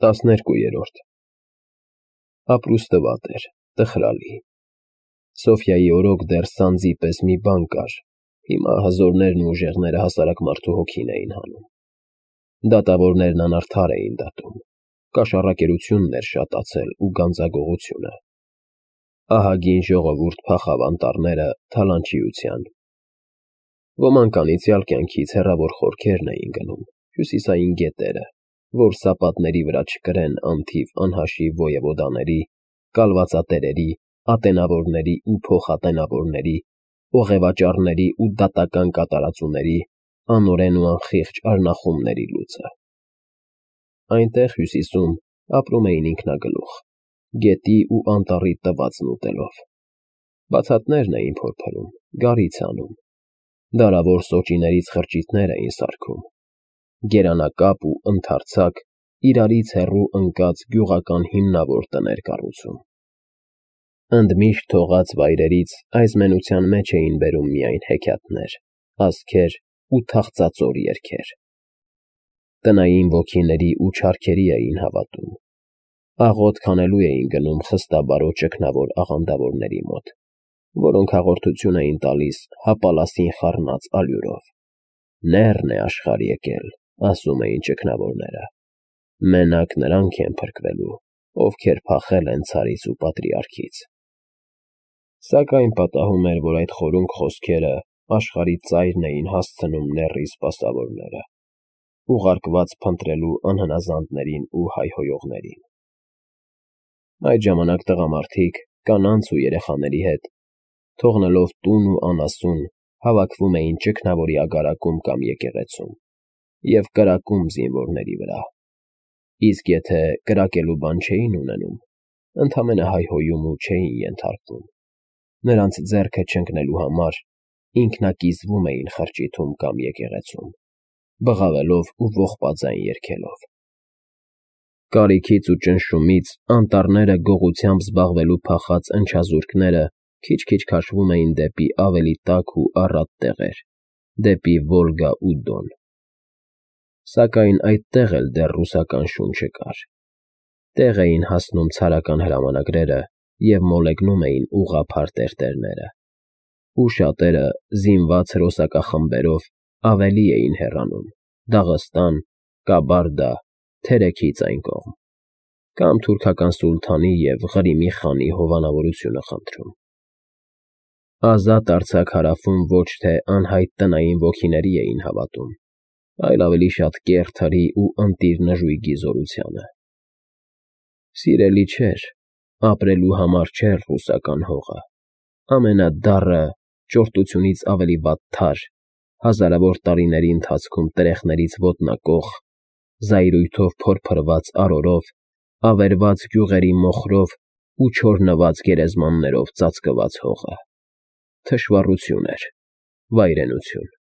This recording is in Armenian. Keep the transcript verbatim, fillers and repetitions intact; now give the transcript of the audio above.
տասներկուերորդ Ապրուստը վատ էր, տխրալի։ Սոֆյայի օրոք դեռ սանձի պես մի բան կար, հիմա հզորներն ու ուժեղները հասարակ մարդու հոգին էին հանում։ Դատավորներն անարդար էին դատում, կաշառակերությունն էր շատացել ու գանձագողությունը։ Ահագին ժողովուրդ փախավ անտառները թալանչիության։ Ոմանք անիծյալ կյանքից հեռավոր խորքերն էին գնում, հյուսիսային գետերը, որ սապատների վրա չկրեն անթիվ անհաշիվ ոևոդաների, կալվածատերերի, ատենավորների ու փոխատենավորների, օղևաճառների ու դատական կատարածուների, անօրեն ու անխիղճ արնախումների լուծը։ Այնտեղ հյուսիսում ապրում էին ինքնագլուխ, գետի ու անտառի տվածն ուտելով։ Բացատներն էին փորփրում, գարից անում, դարավոր սոճիներից խրճիթներ էին սարքում, գերանակապ ու ընդարձակ, իրարից հեռու ընկած գյուղական հիմնավոր տներ կառուցում։ Ընդմիշտ թողած վայրերից այս մենության մեջ էին բերում միայն հեքիաթներ, ասքեր ու թախծածոր երգեր։ Տնային ոգիների ու չարքերի էին հավատում։ Աղոթք անելու էին գնում խստաբարո ճգնավոր աղանդավորների մոտ, որոնք հաղորդություն էին տալիս հապալասին խառնած ալյուրով։ Լեռն է աշխարհ եկել, ասում էին ճգնավորները, մենակ նրանք են փրկվելու, ովքեր փախել են ցարից ու պատրիարքից։ Սակայն պատահում էր, որ այդ խորունգ խոսքերը աշխարհի ծայրն էին հասցնում նեռի սպասավորները, ուղարկված փնտրելու անհնազանդներին ու հայհոյողներին։ Այդ ժամանակ տղամարդիկ կանանց ու երեխաների հետ, թողնելով տուն ու անասուն, հավաքվում էին ճգնավորի ագարակում կամ եկեղեցում և կրակում զինվորների վրա, իսկ եթե կրակելու բան չէին ունենում, ընդամենը հայհոյում ու չէին ենթարկվում, նրանց ձեռքը չընկնելու համար ինքնակիզվում էին խրճիթում կամ եկեղեցում, բղավելով ու ողբաձայն երգելով։ Կարիքից ու ճնշումից անտառները գողությամբ զբաղվելու փախած ընչազուրկները քիչ-քիչ քաշվում էին դեպի ավելի տաք ու առատ տեղեր, դեպի Վոլգա ու Դոն։ Սակայն այդտեղ էլ դեռ ռուսական շունչը կար։ Տեղ էին հասնում ցարական հրամանագրերը և մոլեգնում էին ուղղափառ տերտերները, ու շատերը զինված հրոսակախմբերով ավելի էին հեռանում Դաղստան, Կաբարդա, Թերեքից այն կողմ, կամ թուրքական սուլթանի և Ղրիմի խանի հովանավորությունը խնդրում։ Ազատ արձակ հարավում ոչ թե անհայտ տնային ոգիների էին հավատում, այլ ավելի շատ կեռ թրի ու ընտիր նժույգի զորությանը։ Սիրելի չէր, ապրելու համար չէր ռուսական հողը, ամենադառը, ճորտությունից ավելի վատ թար, հազարավոր տարիների ընթացքում տրեխներից ոտնակոխ, զայրույթով փորփրված արորով, ավերված գյուղերի մոխրով ու չորնված գերեզմաններով ծածկված հողը։ Թշվառություն էր, վայրենություն։